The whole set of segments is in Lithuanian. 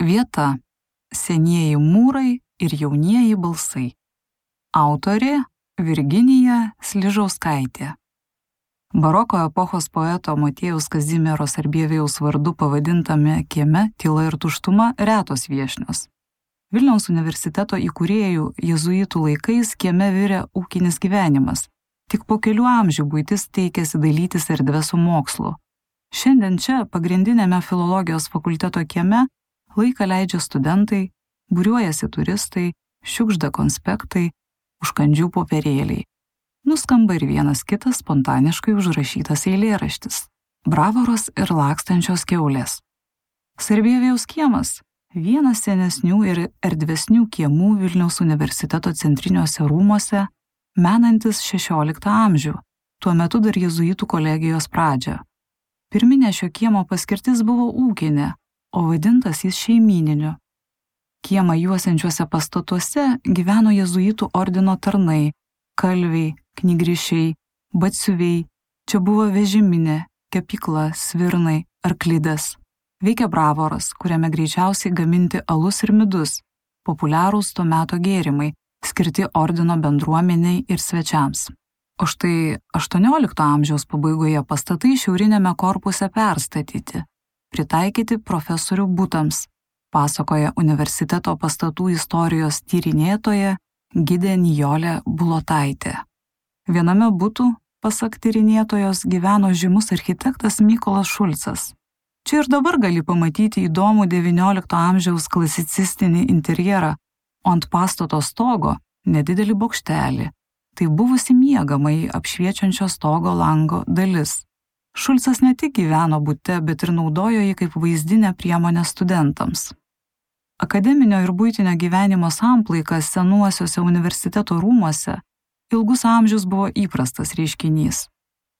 Vieta – senieji mūrai ir jaunieji balsai. Autorė – Virginija Sližauskaitė. Baroko epochos poeto Motiejaus Kazimiero Sarbievijaus vardu pavadintame kieme tyla ir tuštuma retos viešnios. Vilniaus universiteto įkūrėjų jėzuitų laikais kieme virė ūkinis gyvenimas. Tik po kelių amžių buitis teikėsi dalytis erdvę su mokslu. Šiandien čia, pagrindinėme filologijos fakulteto kieme, laiką leidžia studentai, būriuojasi turistai, šiukšda konspektai, užkandžių popierėliai. Nuskamba ir vienas kitas spontaniškai užrašytas eilėraštis – Bravoros ir lakstančios kiaulės. Sarbievijaus kiemas – vienas senesnių ir erdvesnių kiemų Vilniaus universiteto centriniuose rūmuose, menantis 16 amžių, tuo metu dar jėzuitų kolegijos pradžią. Pirminė šio kiemo paskirtis buvo ūkinė, o vadintas jis šeimyniniu. Kiemą juosiančiuose pastatuose gyveno jėzuitų ordino tarnai, kalviai, knygrišiai, batsiuviai, čia buvo vežiminė, kepykla, svirnai, arklidas. Veikia bravoras, kuriame greičiausiai gaminti alus ir midus, populiarūs to meto gėrimai, skirti ordino bendruomeniai ir svečiams. O štai 18 amžiaus pabaigoje pastatai šiaurinėme korpuse perstatyti, pritaikyti profesorių butams, pasakoja universiteto pastatų istorijos tyrinėtoja gidė Nijolė Bulotaitė. Viename butų, pasak tyrinėtojos, gyveno žymus architektas Mykolas Šulcas. Čia ir dabar gali pamatyti įdomų XIX amžiaus klasicistinį interjerą, o ant pastato stogo nedidelį bokštelį. Tai buvusi miegamai apšviečiančio stogo lango dalis. Šulcas ne tik gyveno bute, bet ir naudojo jį kaip vaizdinę priemonę studentams. Akademinio ir buitinio gyvenimo samplaikas senuosiuose universiteto rūmuose ilgus amžius buvo įprastas reiškinys.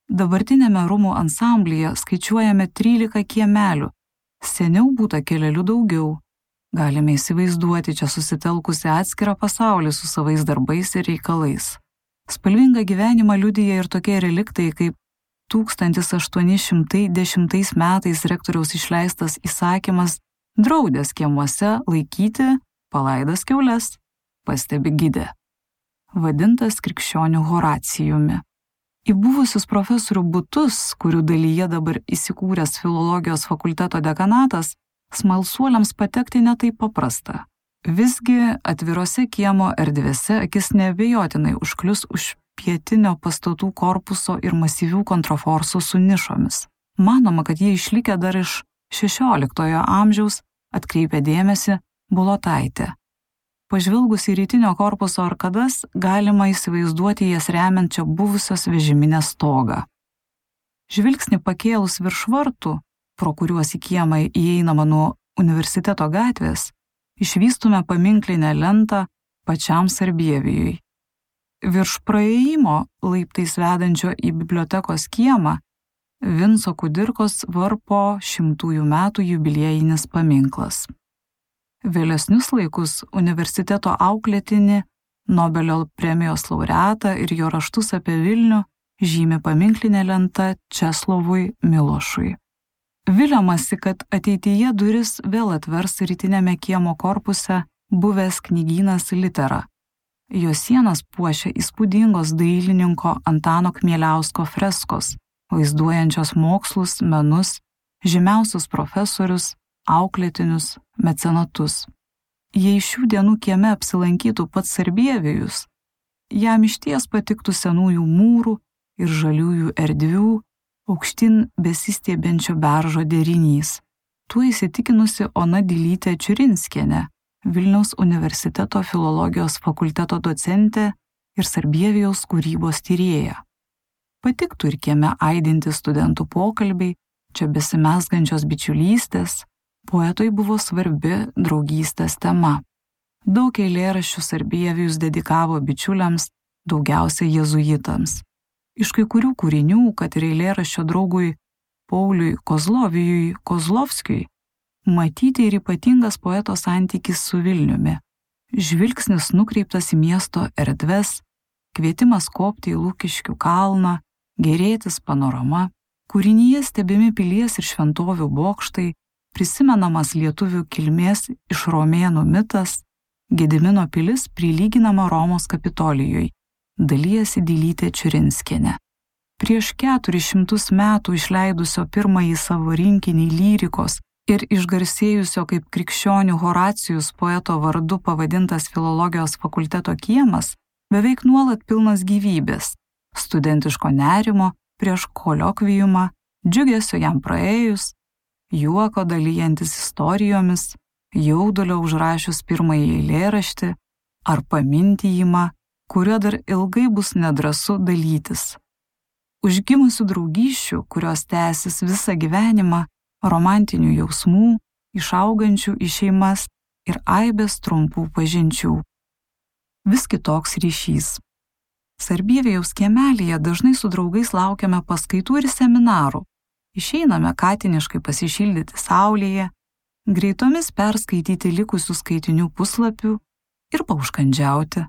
Dabartinėme rūmų ansamblyje skaičiuojame 13 kiemelių, seniau būta kelelių daugiau. Galime įsivaizduoti čia susitelkusi atskirą pasaulį su savais darbais ir reikalais. Spalvingą gyvenimą liudija ir tokie reliktai kaip 1810 metais rektoriaus išleistas įsakymas draudęs kiemuose laikyti palaidas kiaules, pastebi gidė, vadintas krikščionių Horacijumi. Į buvusius profesorių butus, kurių dalyje dabar įsikūręs filologijos fakulteto dekanatas, smalsuoliams patekti netaip paprasta. Visgi atvirose kiemo erdvėse akis neabejotinai užklius už pietinio pastatų korpuso ir masyvių kontraforsų su nišomis. Manoma, kad jie išlikę dar iš 16 amžiaus, atkreipia dėmesį Bulotaitė. Pažvelgus į rytinio korpuso arkadas, galima įsivaizduoti jas remiančią buvusios vežiminės stogą. Žvilgsnį pakėlus virš vartų, pro kuriuos į kiemą įeinama nuo universiteto gatvės, išvystume paminklinę lentą pačiam Sarbievijui. Virš praėjimo laiptais vedančio į bibliotekos kiemą Vinco Kudirkos varpo 100 metų jubiliejinis paminklas. Vėlesnius laikus universiteto auklėtinį, Nobelio premijos laureatą ir jo raštus apie Vilnių žymi paminklinė lenta Česlovui Milošui. Viliamasi, kad ateityje duris vėl atvers rytinėme kiemo korpuse buvęs knygynas Litera. Jo sienas puošia įspūdingos dailininko Antano Kmieliausko freskos, vaizduojančios mokslus, menus, žymiausius profesorius, auklėtinius, mecenatus. Jei šių dienų kieme apsilankytų pats Sarbievijus, jam išties patiktų senųjų mūrų ir žaliųjų erdvių, aukštin besistiebiančio beržo derinys. Tuo įsitikinusi Ona Dilytė Čiurinskienė, Vilniaus universiteto filologijos fakulteto docentė ir Sarbievijaus kūrybos tyrėja. Patiktų ir kieme aidinti studentų pokalbiai, čia besimezgančios bičiulystės, poetui buvo svarbi draugystės tema. Daug eilėraščių Sarbievijus dedikavo bičiuliams, daugiausia jėzuitams. Iš kai kurių kūrinių, kad ir eilėraščio draugui Pauliui Kozlovijui Kozlovskiui, matyti ir ypatingas poeto santykis su Vilniumi. Žvilgsnis nukreiptas į miesto erdves, kvietimas kopti į Lukiškių kalną, gėrėtis panorama, kūrinyje stebimi pilies ir šventovių bokštai, prisimenamas lietuvių kilmės iš romėnų mitas, Gedimino pilis prilyginama Romos Kapitolijui, dalijasi Dilytė Čiurinskienė. Prieš 400 metų išleidusio pirmąjį savo rinkinį lyrikos ir išgarsėjusio kaip krikščionių Horacijus poeto vardu pavadintas Filologijos fakulteto kiemas beveik nuolat pilnas gyvybės, studentiško nerimo prieš koliokviumą, džiugesio jam praėjus, juoko dalyjantis istorijomis, jaudulio užrašius pirmąjį eilėraštį ar pamintijimą, kurio dar ilgai bus nedrąsu dalytis. Užgimusių draugysčių, kurios tęsis visą gyvenimą, romantinių jausmų, išaugančių į šeimas ir aibės trumpų pažinčių. Vis kitoks ryšys. Sarbievijaus kiemelyje dažnai su draugais laukiame paskaitų ir seminarų. Išeiname katiniškai pasišildyti saulėje, greitomis perskaityti likusių skaitinių puslapių ir paužkandžiauti.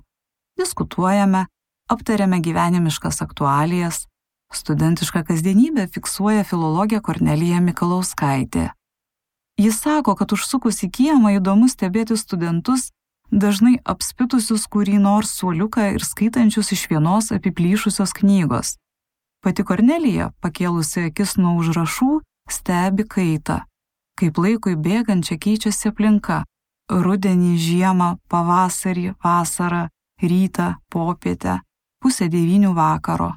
Diskutuojame, aptariame gyvenimiškas aktualijas, studentišką kasdienybę fiksuoja filologė Kornelija Mikalauskaitė. Jis sako, kad užsukus į kiemą įdomu stebėti studentus, dažnai apspitusius kurį nors suoliuką ir skaitančius iš vienos apiplyšusios knygos. Pati Kornelija, pakėlusi akis nuo užrašų, stebi kaitą. Kaip laikui bėgant čia keičiasi aplinka. Rudenį, žiemą, pavasarį, vasarą, rytą, popietę, 8:30 vakaro.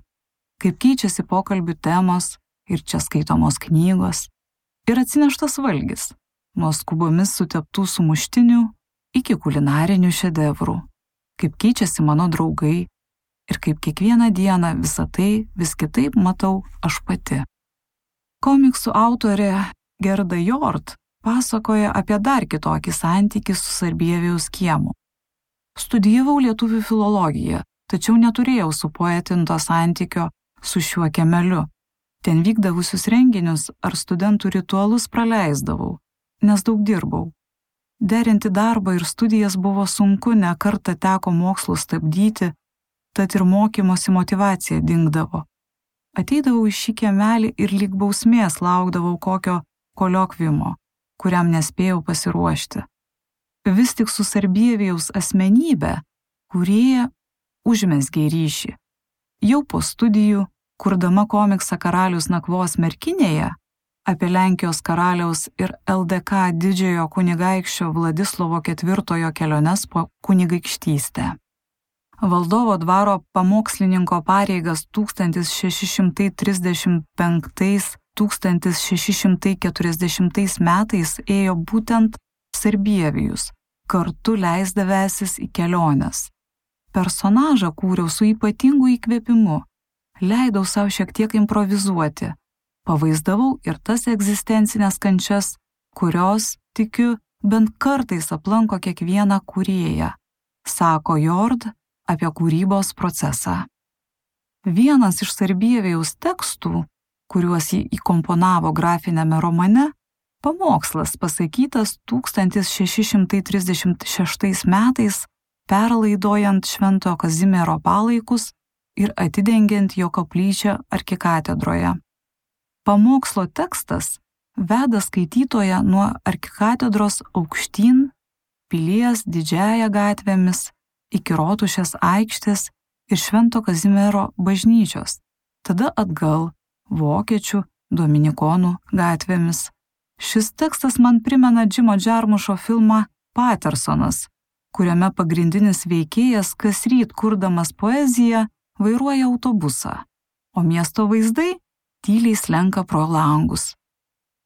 Kaip keičiasi pokalbių temos ir čia skaitomos knygos. Ir atsineštas valgis, nuo skubomis suteptų sumuštinių iki kulinarinių šedevrų. Kaip keičiasi mano draugai ir kaip kiekvieną dieną visą tai vis kitaip matau aš pati. Komiksų autorė Gerda Jord pasakoja apie dar kitokį santykį su Sarbievijaus kiemu. Studijavau lietuvių filologiją, tačiau neturėjau supoetinto santykio su šiuo kiemeliu. Ten vykdavusius renginius ar studentų ritualus praleisdavau, nes daug dirbau. Derinti darbą ir studijas buvo sunku, ne kartą teko mokslus stabdyti, tad ir mokymosi motyvacija dingdavo. Ateidavau į šį kiemelį ir lyg bausmės laukdavau kokio koliokviumo, kuriam nespėjau pasiruošti. Vis tik su Sarbievijaus asmenybė kūrėja užmezgė ryšį. Jau po studijų, kurdama komiksą Karalius nakvos merkinėje apie Lenkijos karaliaus ir LDK didžiojo kunigaikščio Vladislovo IV keliones po kunigaikštystę. Valdovo dvaro pamokslininko pareigas 1635–1640 metais ėjo būtent Sarbievijus, kartu leisdavęsis į keliones. Personažą kūriau su ypatingu įkvėpimu, leidau savo šiek tiek improvizuoti, pavaizdavau ir tas egzistencinės kančias, kurios, tikiu, bent kartais aplanko kiekvieną kūrėją, sako Jord apie kūrybos procesą. Vienas iš Sarbievijaus tekstų, kuriuos jį įkomponavo grafiniame romane, pamokslas pasakytas 1636 metais, perlaidojant Šventojo Kazimiero palaikus ir atidengiant jo koplyčią arkikatedroje. Pamokslo tekstas veda skaitytoją nuo arkikatedros aukštyn, pilies didžiąja gatvėmis, iki Rotušės aikštės ir Švento Kazimiero bažnyčios, tada atgal vokiečių dominikonų gatvėmis. Šis tekstas man primena Džimo Džarmušo filmą Patersonas, kuriame pagrindinis veikėjas kasryt kurdamas poeziją vairuoja autobusą, o miesto vaizdai tyliai slenka pro langus.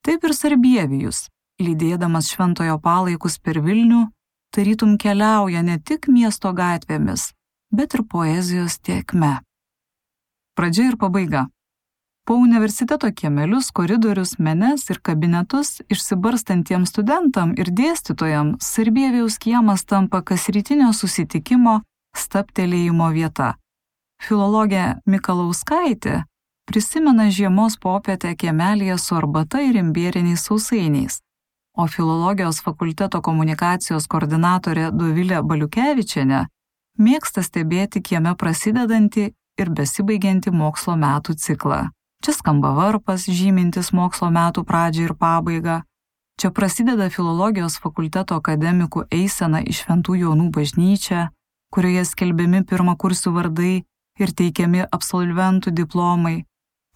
Taip ir Sarbievijus, lydėdamas šventojo palaikus per Vilnių, tarytum keliauja ne tik miesto gatvėmis, bet ir poezijos tėkme. Pradžia ir pabaiga. Po universiteto kiemelius, koridorius, menes ir kabinetus išsibarstantiems studentam ir dėstytojam Sarbievijaus kiemas tampa kasrytinio susitikimo stabtelėjimo vieta. Filologė Mikalauskaitė prisimena žiemos popietę kiemelyje su arbata ir imbieriniais sausainiais, o Filologijos fakulteto komunikacijos koordinatorė Dovilė Baliukevičienė mėgsta stebėti kieme prasidedantį ir besibaigiantį mokslo metų ciklą. Čia skamba varpas, žymintis mokslo metų pradžią ir pabaigą, Čia prasideda filologijos fakulteto akademikų eisena į Šventų Jonų bažnyčią, kurioje skelbiami pirmakursių vardai ir teikiami absolventų diplomai.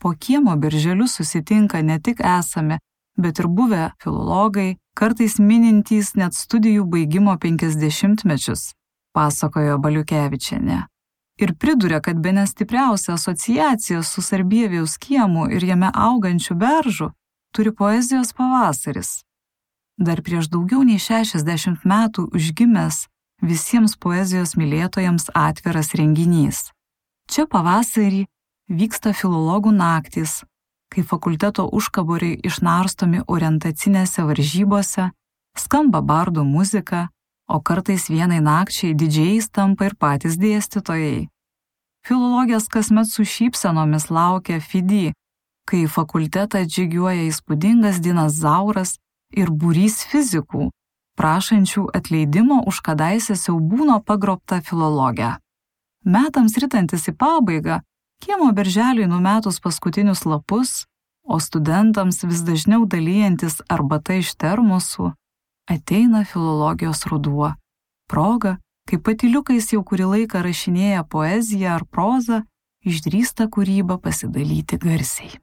Po kiemo birželiu susitinka ne tik esami, bet ir buvę filologai, kartais minintys net studijų baigimo 50-mečius, pasakojo Baliukevičienė. Ir priduria, kad bene stipriausia asociacija su Sarbievijaus kiemu ir jame augančių beržų turi poezijos pavasaris. Dar prieš daugiau nei 60 metų užgimęs visiems poezijos mylėtojams atviras renginys. Čia pavasarį vyksta filologų naktys, kai fakulteto užkaboriai išnarstomi orientacinėse varžybose, skamba bardų muzika, o kartais vienai nakčiai didžiais tampa ir patys dėstytojai. Filologės kasmet su šypsenomis laukia FIDI, kai į fakultetą atžygiuoja įspūdingas dinozauras ir būrys fizikų, prašančių atleidimo už kadaise siaubūno pagrobtą filologę. Metams ritantis į pabaigą, kiemo berželiui numetus paskutinius lapus, o studentams vis dažniau dalijantis arbata iš termosų, ateina filologijos ruduo. Proga, kai patyliukais jau kurį laiką rašinėja poeziją ar prozą, išdrįsta kūrybą pasidalyti garsiai.